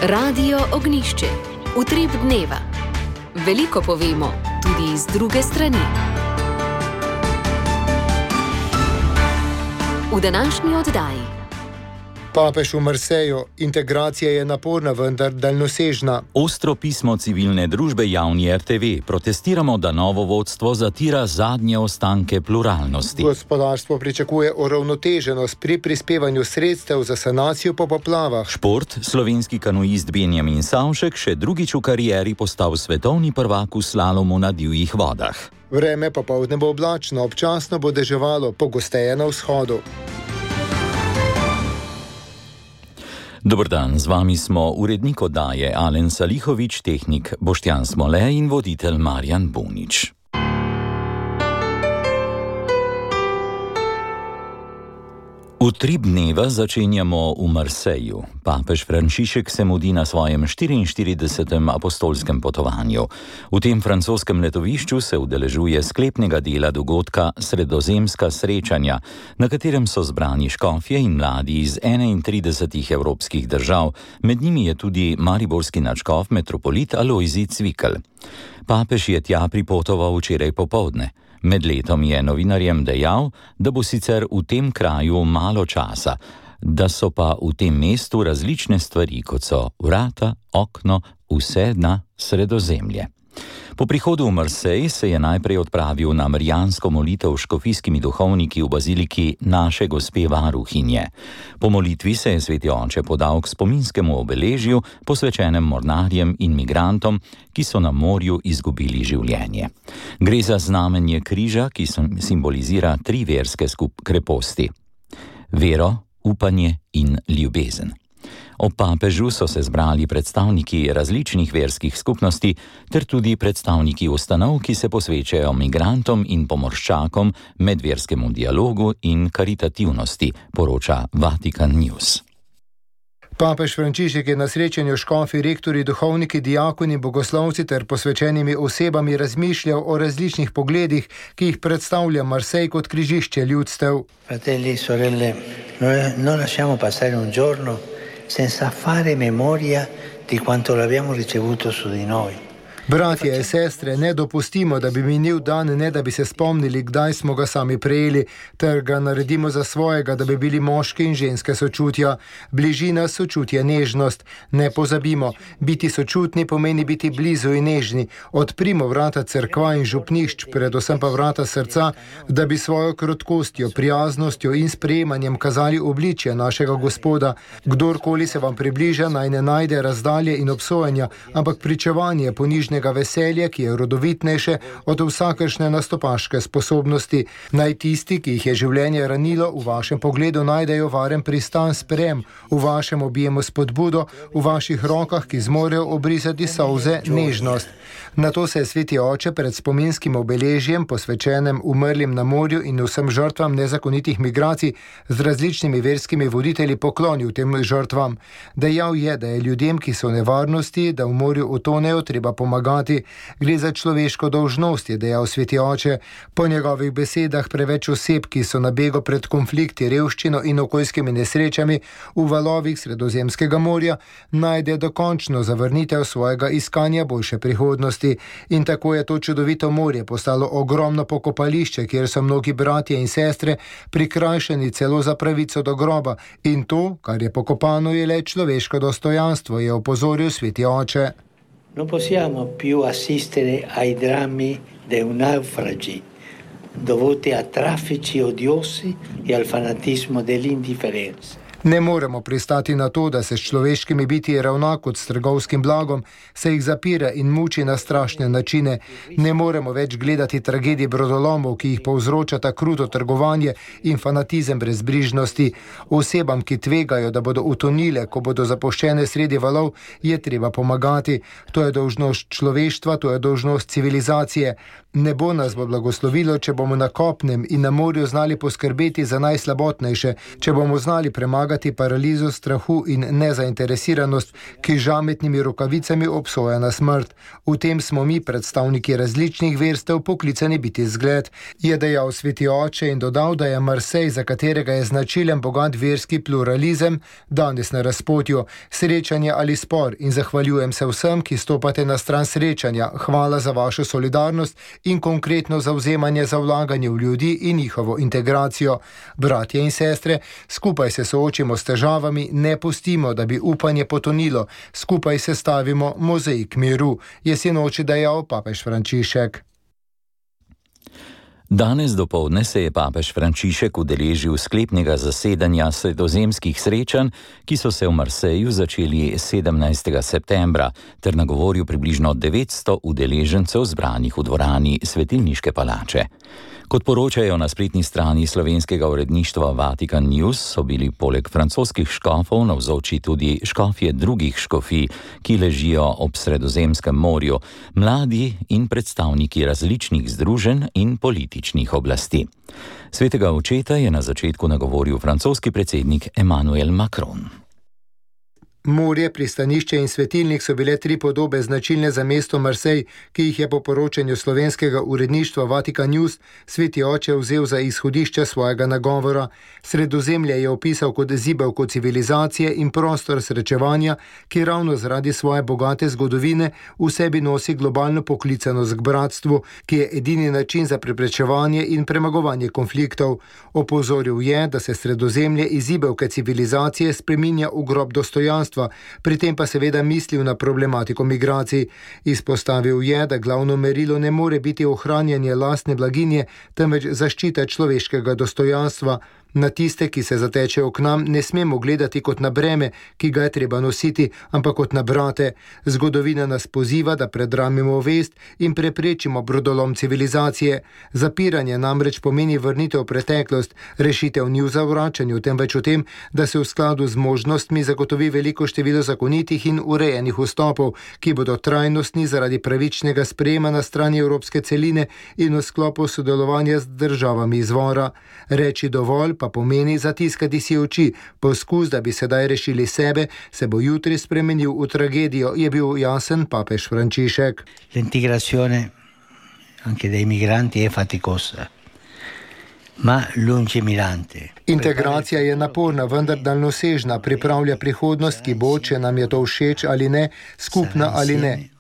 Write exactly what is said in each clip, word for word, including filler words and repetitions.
Radio Ognišče, utrip dneva. Veliko povemo, tudi iz druge strani. V današnji oddaji. Papež v Marseju. Integracija je naporna, vendar daljnosežna. Ostro pismo civilne družbe javni R T V. Protestiramo, da novo vodstvo zatira zadnje ostanke pluralnosti. Gospodarstvo pričakuje uravnoteženost pri prispevanju sredstev za sanacijo po poplavah. Šport. Slovenski kanuist Benjamin Savšek še drugič v karieri postal svetovni prvak v slalomu na divjih vodah. Vreme popoldne bo oblačno, občasno bo deževalo, pogosteje na vzhodu. Dober dan, z vami smo urednik oddaje Alen Salihovič, tehnik Boštjan Smole in voditelj Marjan Bunič. Utrip dneva začenjamo v Marseju. Papež Frančišek se mudi na svojem štiriinštiridesetem apostolskem potovanju. V tem francoskem letovišču se udeležuje sklepnega dela dogodka Sredozemska srečanja, na katerem so zbrani škofje in mladi iz enaintridesetih evropskih držav, med njimi je tudi mariborski nadškof metropolit Alojzij Cvikl. Papež je tja pripotoval včeraj popoldne. Med letom je novinarjem dejal, da bo sicer v tem kraju malo časa, da so pa v tem mestu različne stvari, kot so vrata, okno, vse na Sredozemlje. Po prihodu v Marsej se je najprej odpravil na marijansko molitev s škofijskimi duhovniki v baziliki Naše gospe varuhinje. Po molitvi se je sveti oče podal k spominskemu obeležju, posvečenem mornarjem in migrantom, ki so na morju izgubili življenje. Gre za znamenje križa, ki simbolizira tri verske skup kreposti: vero, upanje in ljubezen. Ob papežu so se zbrali predstavniki različnih verskih skupnosti ter tudi predstavniki ustanov, ki se posvečajo migrantom in pomorščakom, medverskemu dialogu in karitativnosti, poroča Vatikan News. Papež Frančišek je na srečanju škofi, rektori, duhovniki, diakoni, bogoslovci ter posvečenimi osebami razmišljal o različnih pogledih, ki jih predstavlja Marsej kot križišče ljudstev. Fratelli, sorelle, non lasciamo passare un giorno senza fare memoria di quanto l'abbiamo ricevuto su di noi. Bratje in sestre, ne dopustimo, da bi minil dan, ne da bi se spomnili, kdaj smo ga sami prejeli, ter ga naredimo za svojega, da bi bili moški in ženske sočutja. Bližina, sočutje, nežnost. Ne pozabimo, biti sočutni pomeni biti blizu in nežni. Odprimo vrata cerkva in župnišč, predvsem pa vrata srca, da bi svojo krotkostjo, prijaznostjo in sprejemanjem kazali obličje našega Gospoda. Kdorkoli se vam približa, naj ne najde razdalje in obsojanja, ampak pričevanje ponižnega veselje, ki je rodovitnejše od vsakršne nastopaške sposobnosti. Naj tisti, ki jih je življenje ranilo, v vašem pogledu najdejo varen pristan sprejem, v vašem objemu spodbudo, v vaših rokah, ki zmorejo obrisati solze, nežnost. Nato se je sveti oče pred spominskim obeležjem, posvečenem umrlim na morju in vsem žrtvam nezakonitih migracij, z različnimi verskimi voditelji poklonil tem žrtvam. Dejal je, da je ljudem, ki so v nevarnosti, da v morju utonejo, treba pomagati. Gre za človeško dolžnost, je dejal sveti oče. Po njegovih besedah preveč oseb, ki so na begu pred konflikti, revščino in okoljskimi nesrečami v valovih Sredozemskega morja, najde dokončno zavrnitev svojega iskanja boljše prihodnosti. In tako je to čudovito morje postalo ogromno pokopališče, kjer so mnogi bratje in sestre prikrajšani celo za pravico do groba. In to, kar je pokopano, je le človeško dostojanstvo, je opozoril sveti oče. Non possiamo più assistere ai drammi dei naufragi dovuti a traffici odiosi e al fanatismo dell'indifferenza. Ne moremo pristati na to, da se s človeškimi biti ravna kot s trgovskim blagom, se jih zapira in muči na strašne načine. Ne moremo več gledati tragedij brodolomov, ki jih povzročata kruto trgovanje in fanatizem brezbrižnosti. Osebam, ki tvegajo, da bodo utonile, ko bodo zapuščene sredi valov, je treba pomagati. To je dolžnost človeštva, to je dolžnost civilizacije. Nebo nas bo blagoslovilo, če bomo na kopnem in na morju znali poskrbeti za najslabotnejše, če bomo znali premagati premagati paralizo strahu in nezainteresiranost, ki žametnimi rokavicami obsoja na smrt. V tem smo mi, predstavniki različnih verstev, poklicani biti zgled, je dejal sveti oče in dodal, da je Marsej, za katerega je značilen bogat verski pluralizem, danes na razpotju, srečanje ali spor, in zahvaljujem se vsem, ki stopate na stran srečanja. Hvala za vašo solidarnost in konkretno zavzemanje za vlaganje v ljudi in njihovo integracijo. Bratje in sestre, skupaj se soočimo s težavami, ne pustimo, da bi upanje potonilo, skupaj se stavimo mozaik miru, je sinoči dejal papež Frančišek. Danes dopoldne se je papež Frančišek udeležil sklepnega zasedanja sredozemskih srečanj, ki so se v Marseju začeli sedemnajstega septembra, ter nagovoril približno devetsto udeležencev zbranih v dvorani Svetilniške palače. Kot poročajo na spletni strani slovenskega uredništva Vatikan News, so bili poleg francoskih škofov navzoči tudi škofje drugih škofij, ki ležijo ob Sredozemskem morju, mladi in predstavniki različnih združenj in političnih oblasti. Svetega očeta je na začetku nagovoril francoski predsednik Emmanuel Macron. Morje, pristanišče in svetilnik so bile tri podobe značilne za mesto Marsej, ki jih je po poročanju slovenskega uredništva Vatikan News sveti oče vzel za izhodišče svojega nagovora. Sredozemlje je opisal kot zibelko civilizacije in prostor srečevanja, ki ravno zaradi svoje bogate zgodovine v sebi nosi globalno poklicanost k bratstvu, ki je edini način za preprečevanje in premagovanje konfliktov. Opozoril je, da se Sredozemlje iz zibelke civilizacije spreminja v grob dostojanstva, pri tem pa seveda mislil na problematiko migracij. Izpostavil je, da glavno merilo ne more biti ohranjanje lastne blaginje, temveč zaščita človeškega dostojanstva. Na tiste, ki se zatečejo k nam, ne smemo gledati kot na breme, ki ga je treba nositi, ampak kot na brate. Zgodovina nas poziva, da predramimo vest in preprečimo brodolom civilizacije. Zapiranje namreč pomeni vrnitev v preteklost, rešitev ni v zavračanju, temveč v tem, da se v skladu z možnostmi zagotovi veliko število zakonitih in urejenih vstopov, ki bodo trajnostni zaradi pravičnega sprejema na strani evropske celine in v sklopu sodelovanja z državami izvora. Reči dovolj pa pomeni zatiskati si oči. Poskus, da bi sedaj rešili sebe, se bo jutri spremenil v tragedijo, je bil jasen papež Frančišek. L'integrazione anche dei migranti è faticosa, ma lungimirante. Integracija je naporna, vendar daljnosežna, pripravlja prihodnost, ki bo, če nam je to všeč ali ne, skupna ali ne.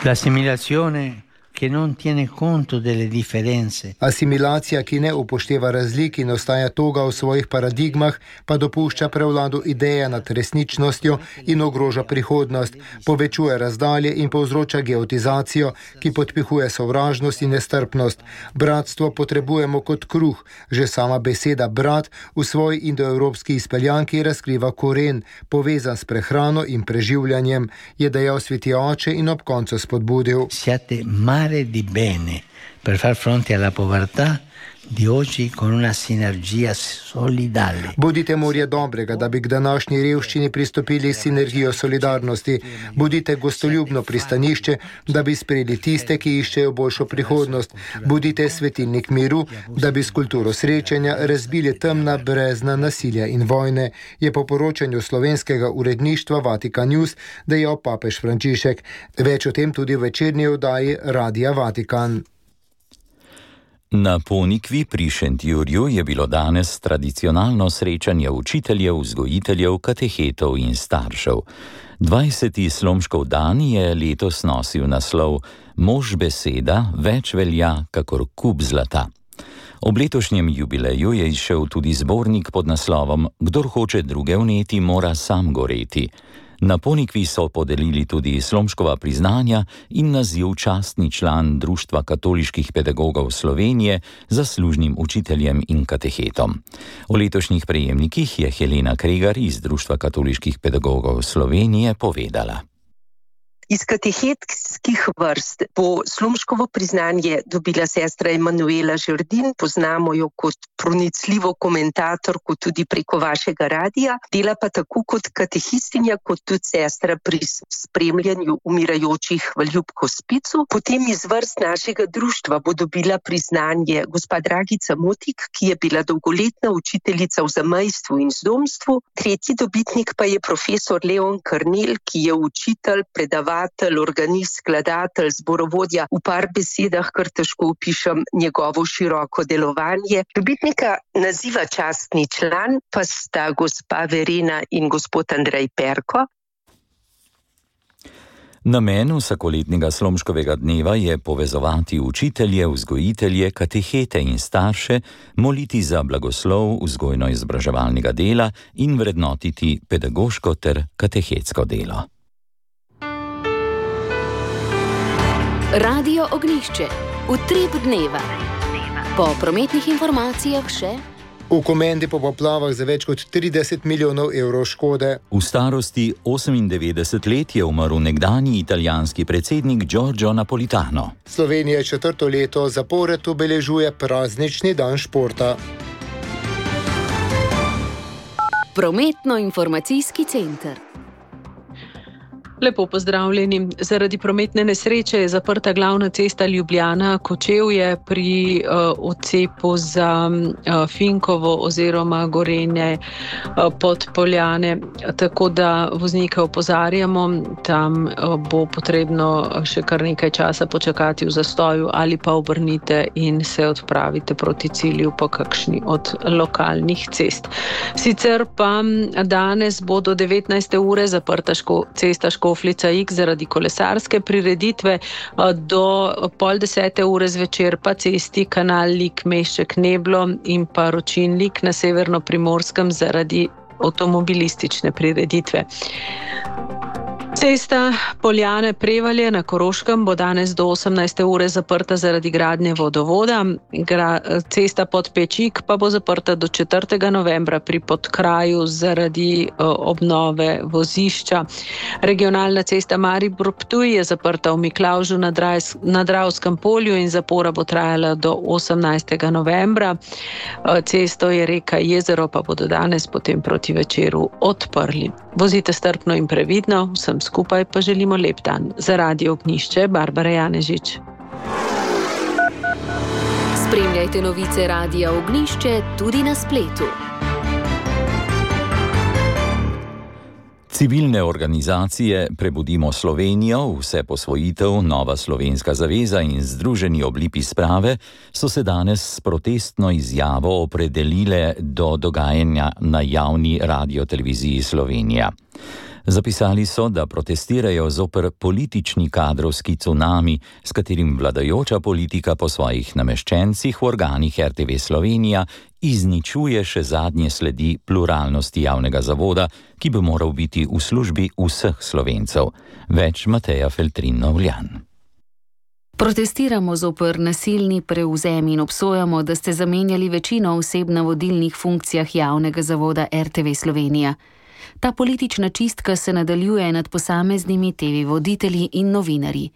L'assimilazione che non tiene conto delle differenze. Asimilacija, ki ne upošteva razlik in ostaja toga v svojih paradigmah, pa dopušča prevlado ideje nad resničnostjo in ogroža prihodnost, povečuje razdalje in povzroča geotizacijo, ki podpihuje sovražnost in nestrpnost. Bratstvo potrebujemo kot kruh. Že sama beseda brat v svoji indoevropski izpeljanki razkriva koren, povezan s prehrano in preživljanjem, je dejal sveti oče in ob koncu spodbudil. Siate di bene per far fronte alla povertà di oggi con una sinergia solidale. Bodite morje dobrega, da bi k današnji revščini pristopili s sinergijo solidarnosti. Bodite gostoljubno pristanišče, da bi sprejeli tiste, ki iščejo boljšo prihodnost. Bodite svetilnik miru, da bi s kulturo srečanja razbili temna brezna nasilja in vojne, je po poročanju slovenskega uredništva Vatikan News dejal papež Frančišek. Več o tem tudi v večerni oddaji Radia Vatikan. Na Ponikvi pri Šentjurju je bilo danes tradicionalno srečanje učiteljev, vzgojiteljev, katehetov in staršev. dvajseti Slomškov dan je letos nosil naslov Mož beseda več velja kakor kup zlata. Ob letošnjem jubileju je izšel tudi zbornik pod naslovom Kdor hoče druge vneti, mora sam goreti. Na Ponikvi so podelili tudi Slomškova priznanja in naziv častni član Društva katoliških pedagogov Slovenije zaslužnim učiteljem in katehetom. O letošnjih prejemnikih je Helena Kregar iz Društva katoliških pedagogov Slovenije povedala. Iz katehetskih vrst bo Slomškovo priznanje dobila sestra Emanuela Žerdin, poznamo jo kot pronicljivo komentatorko tudi preko vašega radija, dela pa tako kot katehistinja, kot tudi sestra pri spremljanju umirajočih v Ljubkospicu. Potem iz vrst našega društva bo dobila priznanje gospa Dragica Motik, ki je bila dolgoletna učiteljica v zamejstvu in zdomstvu. Tretji dobitnik pa je profesor Leon Karnel, ki je učitelj, predavatelj, organist, skladatelj, zborovodja. V par besedah kar težko opišem njegovo široko delovanje. Dobitnika naziva častni član pa sta gospa Verena in gospod Andrej Perko. Namen vsakoletnega Slomškovega dneva je povezovati učitelje, vzgojitelje, katehete in starše, moliti za blagoslov vzgojno-izobraževalnega dela in vrednotiti pedagoško ter katehetsko delo. Radio Ognjišče, utrip dneva. Po prometnih informacijah še. V Komendi po poplavah za več kot trideset milijonov evrov škode. V starosti osemindevetdeset let je umrl nekdanji italijanski predsednik Giorgio Napolitano. Slovenija četrto leto zapored obeležuje praznični dan športa. Prometno-informacijski center. Lepo pozdravljeni. Zaradi prometne nesreče je zaprta glavna cesta Ljubljana-Kočevje pri uh, odcepu za uh, Finkovo oziroma Gorenje uh, Podpoljane. Tako da voznike opozarjamo, tam uh, bo potrebno še kar nekaj časa počakati v zastoju ali pa obrnite in se odpravite proti cilju po kakšni od lokalnih cest. Sicer pa danes bo do devetnajste ure zaprta ško, cesta Ško Škofljica X zaradi kolesarske prireditve, do pol desete ure zvečer pa cesti kanal Lik-Mešček-Neblo in pa Ročin-Lik na Severno-Primorskem zaradi avtomobilistične prireditve. Cesta Poljane-Prevalje na Koroškem bo danes do osemnajste ure zaprta zaradi gradnje vodovoda. Gra, cesta Podpečik pa bo zaprta do četrtega novembra pri Podkraju zaradi uh, obnove vozišča. Regionalna cesta Maribor-Ptuj je zaprta v Miklavžu na, Drajs, na Dravskem polju in zapora bo trajala do osemnajstega novembra. Uh, cesto je reka Jezero pa bodo danes potem proti večeru odprli. Vozite strpno in previdno, vsem skupaj pa želimo lep dan. Za Radio Ognjišče, Barbara Janežič. Spremljajte novice Radia Ognjišče tudi na spletu. Civilne organizacije Prebudimo Slovenijo, Vse posvojitev, Nova slovenska zaveza in Združeni oblipi sprave so se danes s protestno izjavo opredelile do dogajanja na javni radioteleviziji Slovenija. Zapisali so, da protestirajo zoper politični kadrovski cunami, s katerim vladajoča politika po svojih nameščencih v organih R T V Slovenija izničuje še zadnje sledi pluralnosti javnega zavoda, ki bi moral biti v službi vseh Slovencev. Več Mateja Feltrin-Novljan. Protestiramo zoper nasilni prevzem in obsojamo, da ste zamenjali večino oseb na vodilnih funkcijah javnega zavoda R T V Slovenija. Ta politična čistka se nadaljuje nad posameznimi T V voditelji in novinarji.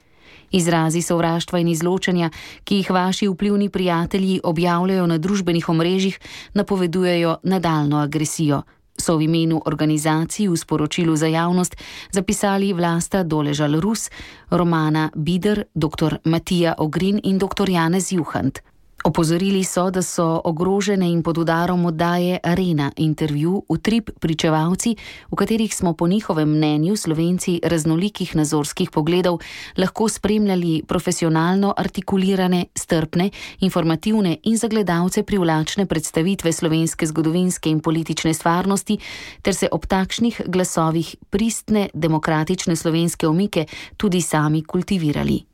Izrazi sovraštva in izločanja, ki jih vaši vplivni prijatelji objavljajo na družbenih omrežjih, napovedujejo nadaljno agresijo. So v imenu organizacij v sporočilu za javnost zapisali Vlasta Doležal-Rus, Romana Bider, doktor Matija Ogrin in doktor Janez Juhant. Opozorili so, da so ogrožene in pod udarom oddaje Arena, intervju, utrip pričevalci, v katerih smo po njihovem mnenju Slovenci raznolikih nazorskih pogledov lahko spremljali profesionalno artikulirane, strpne, informativne in za gledalce privlačne predstavitve slovenske zgodovinske in politične stvarnosti, ter se ob takšnih glasovih pristne demokratične slovenske omike tudi sami kultivirali.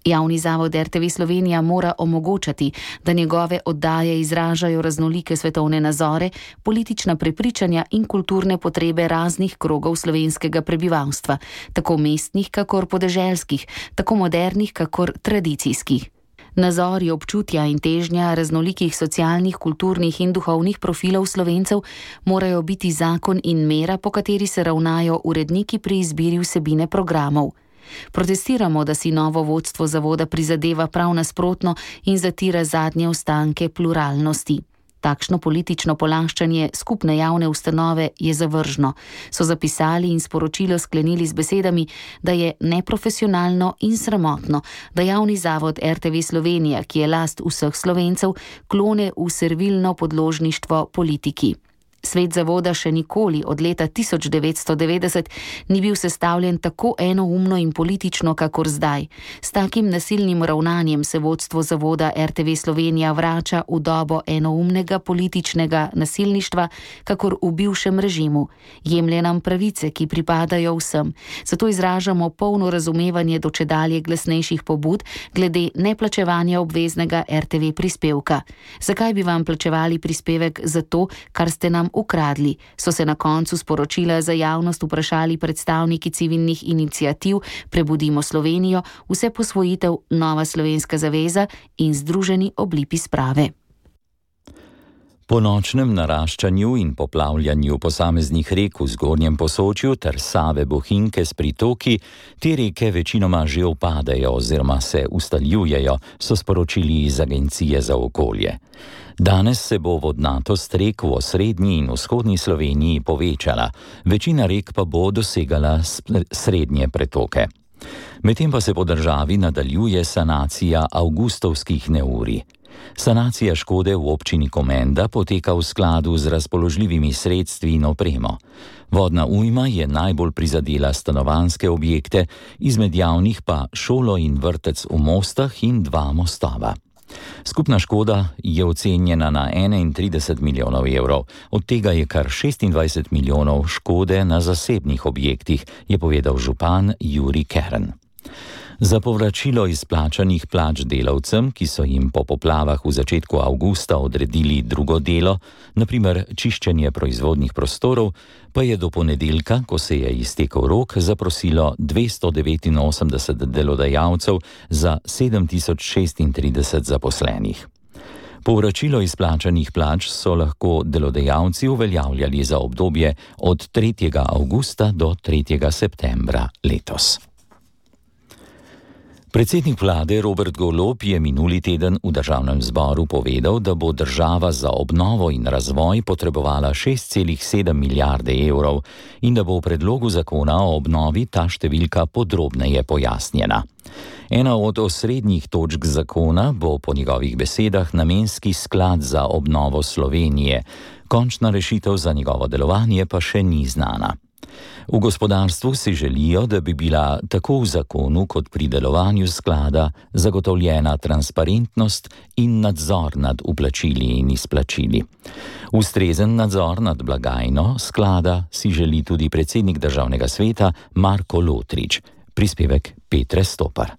Javni zavod R T V Slovenija mora omogočati, da njegove oddaje izražajo raznolike svetovne nazore, politična prepričanja in kulturne potrebe raznih krogov slovenskega prebivalstva, tako mestnih kakor podeželskih, tako modernih kakor tradicijskih. Nazori, občutja in težnja raznolikih socialnih, kulturnih in duhovnih profilov Slovencev morajo biti zakon in mera, po kateri se ravnajo uredniki pri izbiri vsebine programov. Protestiramo, da si novo vodstvo zavoda prizadeva prav nasprotno in zatira zadnje ostanke pluralnosti. Takšno politično polaščanje skupne javne ustanove je zavržno, so zapisali in sporočilo sklenili z besedami, da je neprofesionalno in sramotno, da javni zavod R T V Slovenija, ki je last vseh Slovencev, klone v servilno podložništvo politiki. Svet zavoda še nikoli od leta tisoč devetsto devetdeset ni bil sestavljen tako enoumno in politično, kakor zdaj. S takim nasilnim ravnanjem se vodstvo zavoda R T V Slovenija vrača v dobo enoumnega političnega nasilništva, kakor v bivšem režimu. Jemlje nam pravice, ki pripadajo vsem. Zato izražamo polno razumevanje do čedalje glasnejših pobud glede neplačevanja obveznega R T V prispevka. Zakaj bi vam plačevali prispevek za to, kar ste nam ukradli, so se na koncu sporočila za javnost vprašali predstavniki civilnih iniciativ Prebudimo Slovenijo, Vse posvojitev, Nova slovenska zaveza in Združeni oblipi sprave. Po nočnem naraščanju in poplavljanju posameznih rek v zgornjem Posočju ter Save Bohinjke s pritoki, te reke večinoma že upadajo oziroma se ustaljujejo, so sporočili iz Agencije za okolje. Danes se bo vodnatost rek v osrednji in vzhodni Sloveniji povečala, večina rek pa bo dosegala srednje pretoke. Medtem pa se po državi nadaljuje sanacija avgustovskih neurij. Sanacija škode v občini Komenda poteka v skladu z razpoložljivimi sredstvi in opremo. Vodna ujma je najbolj prizadela stanovanjske objekte, izmed javnih pa šolo in vrtec v Mostah in dva mostova. Skupna škoda je ocenjena na enaintrideset milijonov evrov, od tega je kar šestindvajset milijonov škode na zasebnih objektih, je povedal župan Jurij Kern. Za povračilo izplačanih plač delavcem, ki so jim po poplavah v začetku avgusta odredili drugo delo, na primer čiščenje proizvodnih prostorov, pa je do ponedeljka, ko se je iztekel rok, zaprosilo dvesto devetinosemdeset delodajalcev za sedem tisoč šestintrideset zaposlenih. Povračilo izplačanih plač so lahko delodajalci uveljavljali za obdobje od tretjega avgusta do tretjega septembra letos. Predsednik vlade Robert Golob je minuli teden v državnem zboru povedal, da bo država za obnovo in razvoj potrebovala šest celih sedem milijarde evrov in da bo v predlogu zakona o obnovi ta številka podrobneje pojasnjena. Ena od osrednjih točk zakona bo po njegovih besedah namenski sklad za obnovo Slovenije. Končna rešitev za njegovo delovanje pa še ni znana. V gospodarstvu si želijo, da bi bila tako v zakonu kot pri delovanju sklada zagotovljena transparentnost in nadzor nad vplačili in izplačili. Ustrezen nadzor nad blagajno sklada si želi tudi predsednik državnega sveta Marko Lotrič. Prispevek Petre Stopar.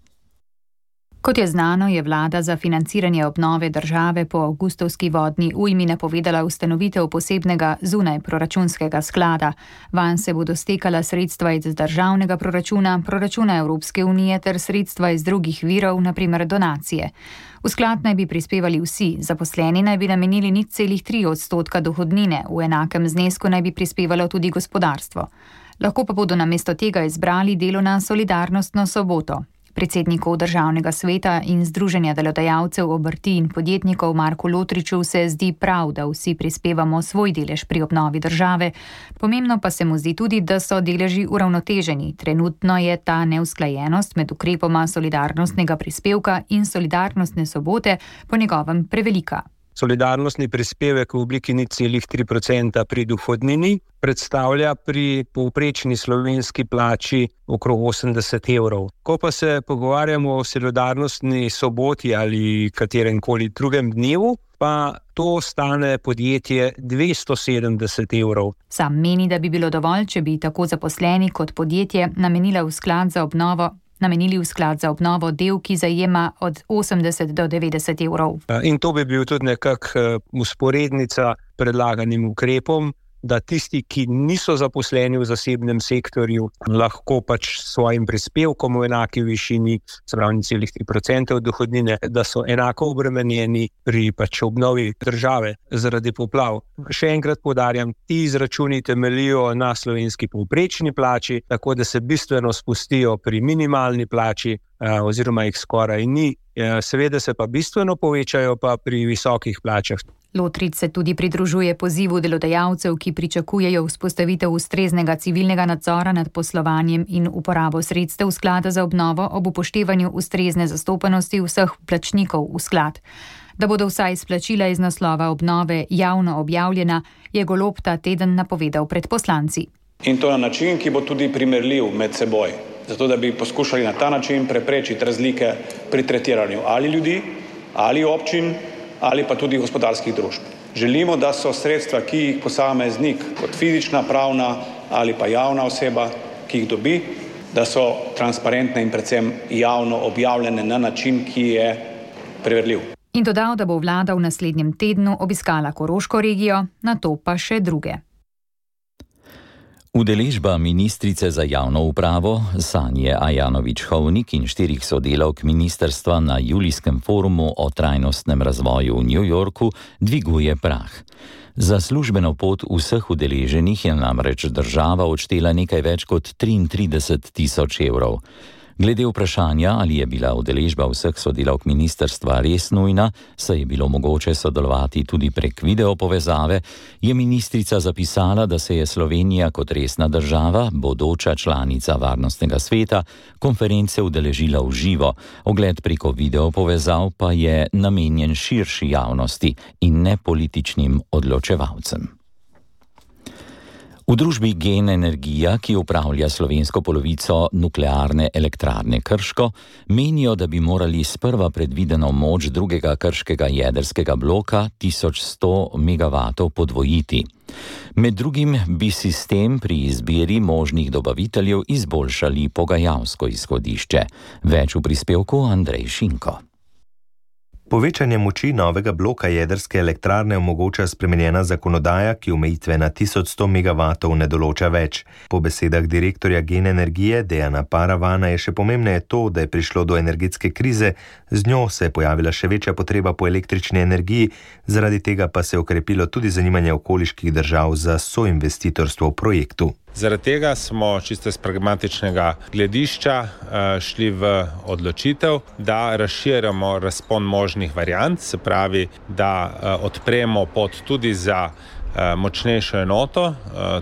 Kot je znano, je vlada za financiranje obnove države po avgustovski vodni ujmi napovedala ustanovitev posebnega zunaj proračunskega sklada. Vanj se bodo stekala sredstva iz državnega proračuna, proračuna Evropske unije ter sredstva iz drugih virov, na primer donacije. V sklad naj bi prispevali vsi, zaposleni naj bi namenili nič celih tri odstotka dohodnine, v enakem znesku naj bi prispevalo tudi gospodarstvo. Lahko pa bodo namesto tega izbrali delo na solidarnostno soboto. Predsednikov državnega sveta in Združenja delodajalcev, obrti in podjetnikov Marku Lotriču se zdi prav, da vsi prispevamo svoj delež pri obnovi države. Pomembno pa se mu zdi tudi, da so deleži uravnoteženi. Trenutno je ta neusklajenost med ukrepoma solidarnostnega prispevka in solidarnostne sobote po njegovem prevelika. Solidarnostni prispevek v obliki nič celih tri odstotka pri dohodnini predstavlja pri povprečni slovenski plači okrog osemdeset evrov. Ko pa se pogovarjamo o solidarnostni soboti ali kateremkoli drugem dnevu, pa to stane podjetje dvesto sedemdeset evrov. Sam meni, da bi bilo dovolj, če bi tako zaposleni kot podjetje namenila v sklad za obnovo namenili v sklad za obnovo del, ki zajema od osemdeset do devetdeset evrov. In to bi bil tudi nekak usporednica predlaganim ukrepom, da tisti, ki niso zaposleni v zasebnem sektorju, lahko pač s svojim prispevkom v enaki višini, se pravi nič celih tri procente od dohodnine, da so enako obremenjeni pri pač obnovi države zaradi poplav. Še enkrat poudarjam, ti izračuni temeljijo na slovenski povprečni plači, tako da se bistveno spustijo pri minimalni plači oziroma jih skoraj ni. Seveda se pa bistveno povečajo pa pri visokih plačah. Lotrič se tudi pridružuje pozivu delodajalcev, ki pričakujejo vzpostavitev ustreznega civilnega nadzora nad poslovanjem in uporabo sredstev sklada za obnovo ob upoštevanju ustrezne zastopanosti vseh plačnikov v sklad. Da bodo vsa izplačila iz naslova obnove javno objavljena, je Golob ta teden napovedal pred poslanci. In to na način, ki bo tudi primerljiv med seboj, zato da bi poskušali na ta način preprečiti razlike pri tretiranju ali ljudi, ali občin, ali pa tudi gospodarskih družb. Želimo, da so sredstva, ki jih posameznik kot fizična, pravna ali pa javna oseba, ki jih dobi, da so transparentne in predvsem javno objavljene na način, ki je preverljiv. In dodal, da bo vlada v naslednjem tednu obiskala Koroško regijo, nato pa še druge. Udeležba ministrice za javno upravo Sanje Ajanović-Hovnik in štirih sodelavk ministrstva na julijskem forumu o trajnostnem razvoju v New Yorku dviguje prah. Za službeno pot vseh udeleženih je namreč država odštela nekaj več kot triintrideset tisoč evrov. Glede vprašanja, ali je bila udeležba vseh sodelavk ministrstva res nujna, saj je bilo mogoče sodelovati tudi prek videopovezave, je ministrica zapisala, da se je Slovenija kot resna država, bodoča članica Varnostnega sveta, konference udeležila v živo. Ogled preko videopovezav pa je namenjen širši javnosti in ne političnim odločevalcem. V družbi Gen Energija, ki upravlja slovensko polovico nuklearne elektrarne Krško, menijo, da bi morali sprva predvideno moč drugega krškega jedrskega bloka tisoč sto megavatov podvojiti. Med drugim bi sistem pri izbiri možnih dobaviteljev izboljšali pogajalsko izhodišče. Več v prispevku Andrej Šinko. Povečanje moči novega bloka jedrske elektrarne omogoča spremenjena zakonodaja, ki omejitve na tisoč sto megavatov ne določa več. Po besedah direktorja Gen Energije Dejana Paravana je še pomembneje to, da je prišlo do energetske krize, z njo se je pojavila še večja potreba po električni energiji, zaradi tega pa se je okrepilo tudi zanimanje okoliških držav za soinvestitorstvo v projektu. Zaradi tega smo čisto iz pragmatičnega gledišča šli v odločitev, da razširjamo razpon možnih variant, se pravi, da odpremo pot tudi za močnejšo enoto,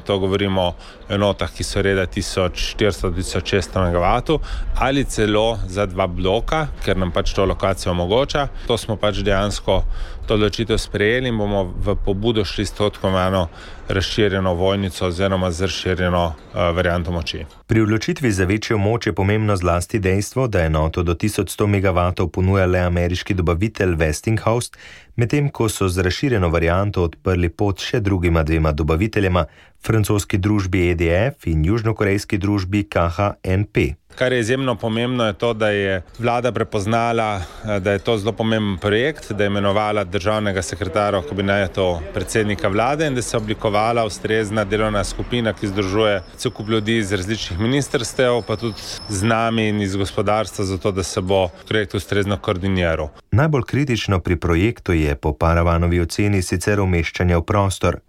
to govorimo o enotah, ki so reda tisoč štiristo do tisoč šeststo megavatov, ali celo za dva bloka, ker nam pač to lokacijo omogoča. To smo pač dejansko to odločitev sprejeli in bomo v pobudo šli s to tako imenovano razširjeno vojnico oziroma z razširjeno varianto moči. Pri odločitvi za večjo moč je pomembno zlasti dejstvo, da enoto do tisoč sto megavatov ponuja le ameriški dobavitelj Westinghouse, medtem ko so z razširjeno varianto odprli pot še drugima dvema dobaviteljema, francoski družbi E D F in južnokorejski družbi K H N P. Kar je izjemno pomembno je to, da je vlada prepoznala, da je to zelo pomemben projekt, da je imenovala državnega sekretarja v kabinetu predsednika vlade in da se je oblikovala ustrezna delovna skupina, ki združuje cel kup ljudi iz različnih ministrstev, pa tudi z nami in iz gospodarstva, zato da se bo projekt ustrezno koordiniral. Najbolj kritično pri projektu je po Paravanovi oceni sicer umeščanje v prostor.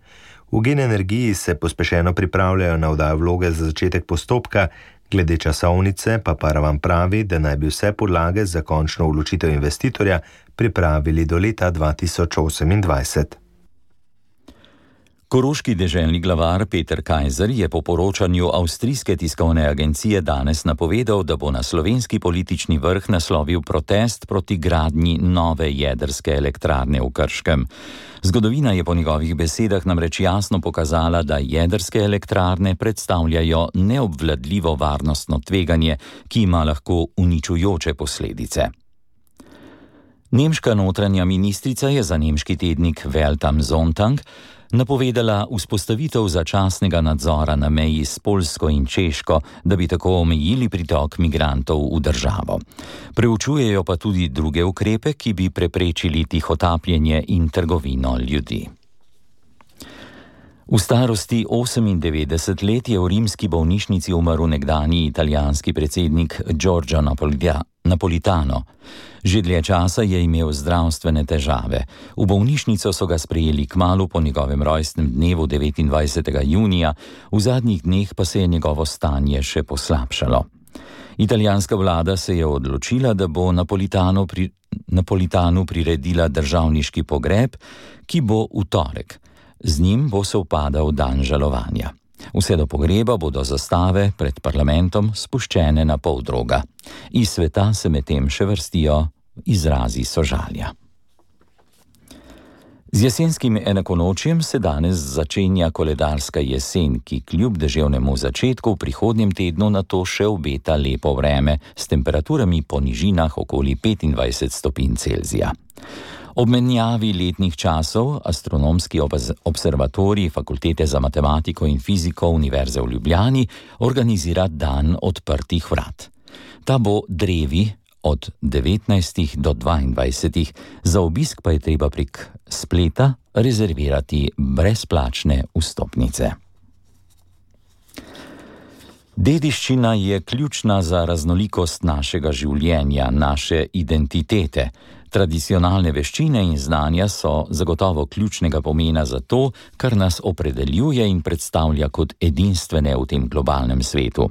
V Gen Energiji se pospešeno pripravljajo na oddajo vloge za začetek postopka, glede časovnice pa Paravan pravi, da naj bi vse podlage za končno odločitev investitorja pripravili do leta dva tisoč osemindvajset. Koroški deželni glavar Peter Kajzer je po poročanju avstrijske tiskovne agencije danes napovedal, da bo na slovenski politični vrh naslovil protest proti gradnji nove jedrske elektrarne v Krškem. Zgodovina je po njegovih besedah namreč jasno pokazala, da jedrske elektrarne predstavljajo neobvladljivo varnostno tveganje, ki ima lahko uničujoče posledice. Nemška notranja ministrica je za nemški tednik Welt am Sonntag napovedala vzpostavitev začasnega nadzora na meji s Poljsko in Češko, da bi tako omejili pritok migrantov v državo. Preučujejo pa tudi druge ukrepe, ki bi preprečili tihotapljenje in trgovino ljudi. V starosti osemindevetdeset let je v rimski bolnišnici umrl nekdanji italijanski predsednik Giorgio Napolitano. Že dlje časa je imel zdravstvene težave. V bolnišnico so ga sprejeli kmalu po njegovem rojstnem dnevu devetindvajsetega junija, v zadnjih dneh pa se je njegovo stanje še poslabšalo. Italijanska vlada se je odločila, da bo Napolitano pri, Napolitanu priredila državniški pogreb, ki bo v torek. Z njim bo sovpadal dan žalovanja. Vse do pogreba bodo zastave pred parlamentom spuščene na pol droga. Iz sveta se medtem še vrstijo izrazi sožalja. Z jesenskim enakonočjem se danes začenja koledarska jesen, ki kljub deževnemu začetku v prihodnjem tednu na to še obeta lepo vreme s temperaturami po nižinah okoli petindvajset stopinj Celzija. Ob menjavi letnih časov Astronomski observatorij Fakultete za matematiko in fiziko Univerze v Ljubljani organizira dan odprtih vrat. Ta bo drevi od devetnajstih do dvaindvajsetih, za obisk pa je treba prek spleta rezervirati brezplačne vstopnice. Dediščina je ključna za raznolikost našega življenja, naše identitete. Tradicionalne veščine in znanja so zagotovo ključnega pomena za to, kar nas opredeljuje in predstavlja kot edinstvene v tem globalnem svetu.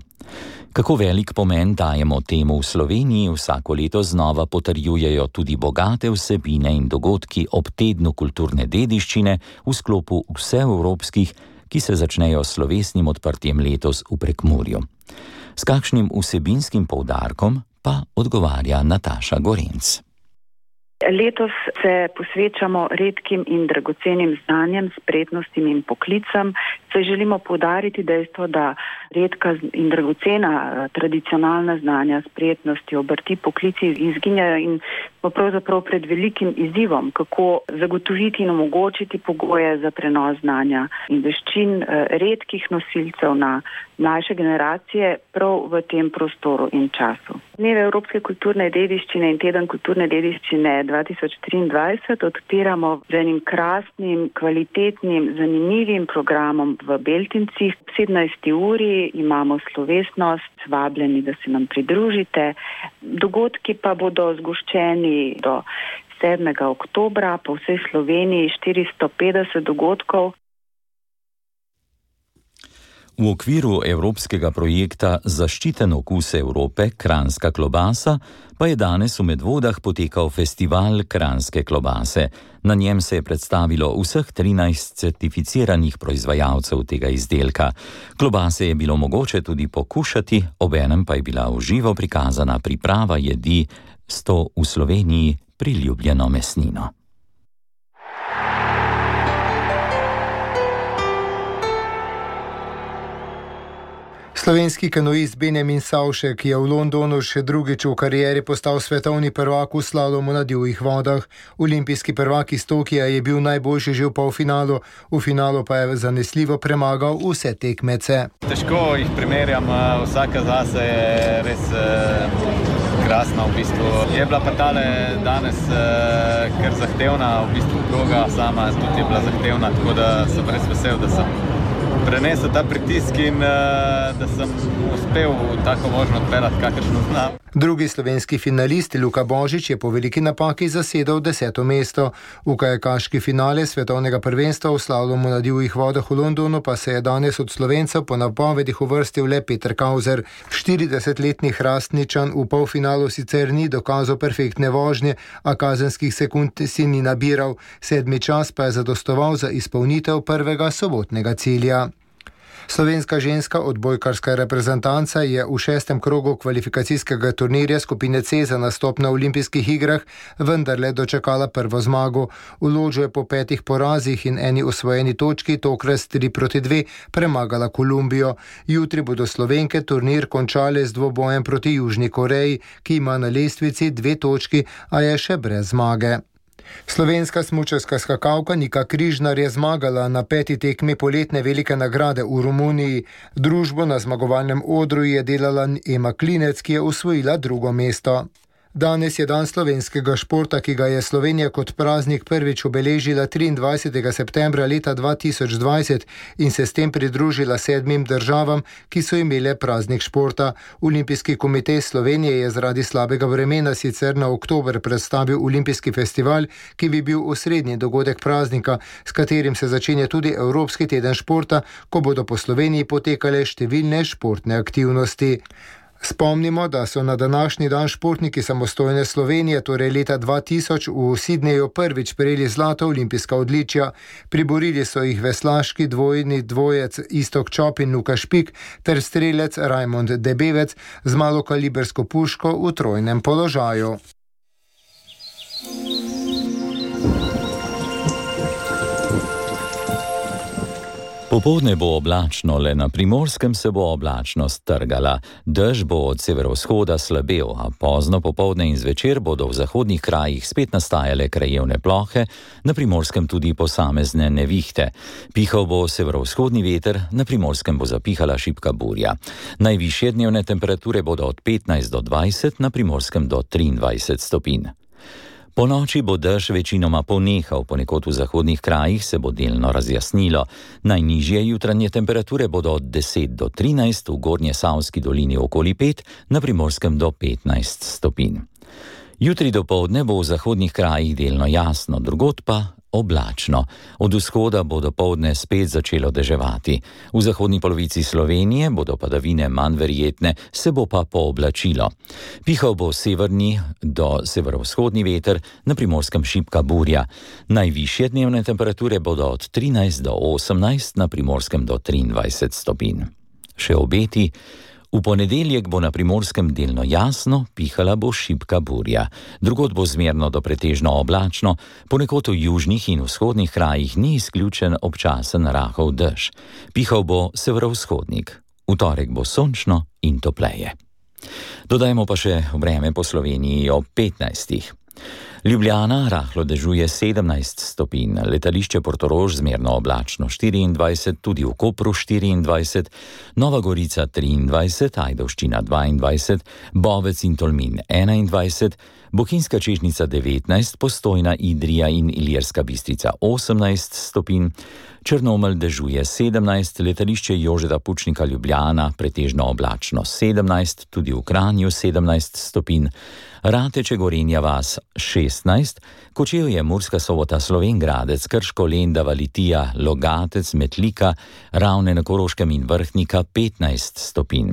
Kako velik pomen dajemo temu v Sloveniji, vsako leto znova potrjujejo tudi bogate vsebine in dogodki ob tednu kulturne dediščine v sklopu vseevropskih, ki se začnejo s slovesnim odprtjem letos v Prekmurju. S kakšnim vsebinskim poudarkom pa odgovarja Nataša Gorenc. Letos se posvečamo redkim in dragocenim znanjem, spretnostim in poklicam. Se želimo poudariti dejstvo, da redka in dragocena tradicionalna znanja, spretnosti, obrti, poklici izginjajo in smo pravzaprav pred velikim izzivom, kako zagotoviti in omogočiti pogoje za prenos znanja in veščin redkih nosilcev na mlajše generacije prav v tem prostoru in času. Dneve Evropske kulturne dediščine in teden kulturne dediščine dva tisoč triindvajset odpiramo z enim krasnim, kvalitetnim, zanimivim programom v Beltincih. V sedemnajsti uri imamo slovesnost, vabljeni, da se nam pridružite. Dogodki pa bodo zgoščeni do sedmega oktobra po vsej Sloveniji, štiristo petdeset dogodkov. V okviru evropskega projekta Zaščiten okus Evrope, Kranjska klobasa, pa je danes v Medvodah potekal festival Kranjske klobase. Na njem se je predstavilo vseh trinajst certificiranih proizvajalcev tega izdelka. Klobase je bilo mogoče tudi pokušati, obenem pa je bila v živo prikazana priprava jedi s to v Sloveniji priljubljeno mesnino. Slovenski kanoist Benjamin Savšek je v Londonu še drugič v karieri postal svetovni prvak v slalomu na divjih vodah. Olimpijski prvak iz Tokija je bil najboljši že v polfinalu, v finalu pa je zanesljivo premagal vse tekmece. Težko jih primerjam, vsaka zase je res krasna v bistvu. Je bila pa tale danes kar zahtevna, v bistvu proga sama tudi je bila zahtevna, tako da sem res vesel, da sem prenesel ta pritisk in da sem uspel tako možno odpeljati, kakršno znam. Drugi slovenski finalist Luka Božič je po veliki napaki zasedel deseto mesto. V kajakaški finale svetovnega prvenstva v slalomu na divjih vodah v Londonu pa se je danes od Slovencev po napovedih uvrstil le Peter Kauzer. štiridesetletni Hrastničan v polfinalu sicer ni dokazal perfektne vožnje, a kazenskih sekund si ni nabiral. Sedmi čas pa je zadostoval za izpolnitev prvega sobotnega cilja. Slovenska ženska odbojkarska reprezentanca je v šestem krogu kvalifikacijskega turnirja skupine C za nastop na olimpijskih igrah vendarle dočakala prvo zmago. V Lodžu je po petih porazih in eni osvojeni točki, tokrat tri proti dve, premagala Kolumbijo. Jutri bodo Slovenke turnir končale z dvobojem proti Južni Koreji, ki ima na lestvici dve točki, a je še brez zmage. Slovenska smučarska skakalka Nika Križnar je zmagala na peti tekmi poletne velike nagrade v Romuniji. Družbo na zmagovalnem odru je delala Ema Klinec, ki je osvojila drugo mesto. Danes je dan slovenskega športa, ki ga je Slovenija kot praznik prvič obeležila triindvajsetega septembra leta dva tisoč dvajset in se s tem pridružila sedmim državam, ki so imele praznik športa. Olimpijski komitej Slovenije je zaradi slabega vremena sicer na oktober predstavil olimpijski festival, ki bi bil osrednji dogodek praznika, s katerim se začenja tudi Evropski teden športa, ko bodo po Sloveniji potekale številne športne aktivnosti. Spomnimo, da so na današnji dan športniki samostojne Slovenije, torej leta dva tisoč, v Sidneju prvič prejeli zlata olimpijska odličja. Priborili so jih veslaški dvojni dvojec Iztok Čop in Luka Špik ter strelec Rajmond Debevec z malokalibersko puško v trojnem položaju. Popoldne bo oblačno, le na Primorskem se bo oblačnost trgala. Dež bo od severovzhoda slabel, a pozno popoldne in zvečer bodo v zahodnih krajih spet nastajale krajevne plohe, na Primorskem tudi posamezne nevihte. Pihal bo severovzhodni veter, na Primorskem bo zapihala šibka burja. Najvišje dnevne temperature bodo od petnajst do dvajset, na Primorskem do triindvajset stopinj. Po noči bo dež večinoma ponehal, ponekod v zahodnih krajih se bo delno razjasnilo. Najnižje jutranje temperature bodo od deset do trinajst, v Gornjesavski dolini okoli pet, na Primorskem do petnajst stopinj. Jutri dopoldne bo v zahodnih krajih delno jasno, drugod pa oblačno. Od vzhoda bo dopoldne spet začelo deževati. V zahodni polovici Slovenije bodo padavine manj verjetne, se bo pa pooblačilo. Pihal bo severni do severovzhodni veter, na Primorskem šibka burja. Najvišje dnevne temperature bodo od trinajst do osemnajst, na Primorskem do triindvajset stopinj. Še obeti. V ponedeljek bo na Primorskem delno jasno, pihala bo šibka burja. Drugod bo zmerno do pretežno oblačno, ponekod v južnih in vzhodnih krajih ni izključen občasen rahel dež. Pihal bo severovzhodnik. V torek bo sončno in topleje. Dodajmo pa še vreme po Sloveniji ob petnajstih. Ljubljana rahlo dežuje sedemnajst stopinj, letališče Portorož zmerno oblačno štiriindvajset, tudi v Kopru štiriindvajset, Nova Gorica triindvajset, Ajdovščina dvaindvajset, Bovec in Tolmin enaindvajset, Bohinjska Čežnica devetnajst, Postojna, Idrija in Ilirska Bistrica osemnajst stopinj, Črnomelj dežuje sedemnajst, letališče Jožeta Pučnika Ljubljana pretežno oblačno sedemnajst, tudi v Kranju sedemnajst stopinj, Rateče Gorenja vas šestnajst, Kočevje Murska Sobota Slovenj Gradec, Krško Lendava Litija Logatec Metlika, Ravne na Koroškem in Vrhnika petnajst stopinj.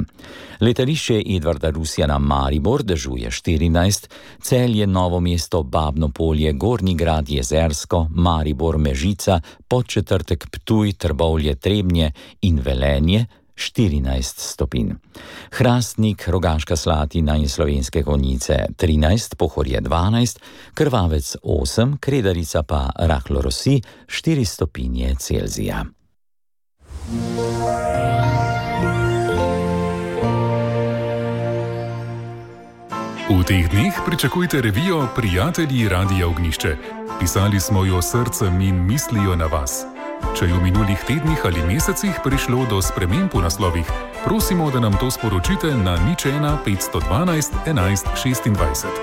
Letališče Edvarda Rusjana Maribor dežuje štirinajst, Celje Novo mesto Babno Polje, Gornji Grad Jezersko, Maribor Mežica, Podčetrtek Ptuj, Trbovlje Trebnje in Velenje štirinajst stopinj. Hrastnik, Rogaška Slatina in Slovenske Konjice trinajst, Pohorje dvanajst, Krvavec osem, Kredarica pa rahlo rosi štiri stopinje Celzija. V teh dneh pričakujte revijo Prijatelji Radia Ognjišče. Pisali smo jo srcem in mislijo na vas. Če je v minulih tednih ali mesecih prišlo do sprememb v naslovih, prosimo, da nam to sporočite na nič ena petsto dvanajst enajst šestindvajset.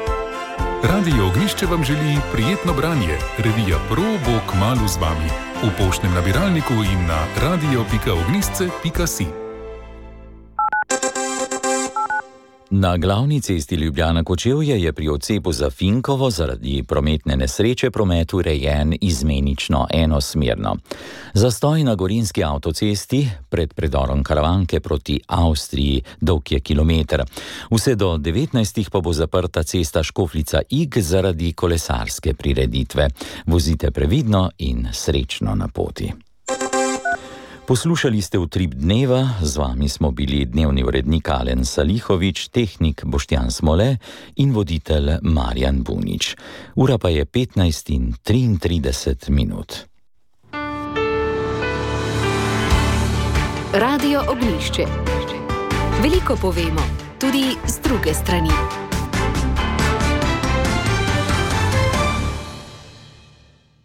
Radio Ognjišče vam želi prijetno branje. Revija Pro bo kmalu z vami. V poštnem nabiralniku in na radio pika ognjišče pika si. Na glavni cesti Ljubljana-Kočevje je pri odcepu za Finkovo zaradi prometne nesreče promet urejen izmenično enosmerno. Zastoj na gorenjski avtocesti pred predorom Karavanke proti Avstriji dolg je kilometer. Vse do devetnajstih pa bo zaprta cesta Škofljica-Ig zaradi kolesarske prireditve. Vozite previdno in srečno na poti. Poslušali ste Utrip dneva, z vami smo bili dnevni urednik Alen Salihovič, tehnik Boštjan Smole in voditelj Marjan Bunič. Ura pa je petnajst in triintrideset minut. Radio Ognjišče. Veliko povemo, tudi z druge strani.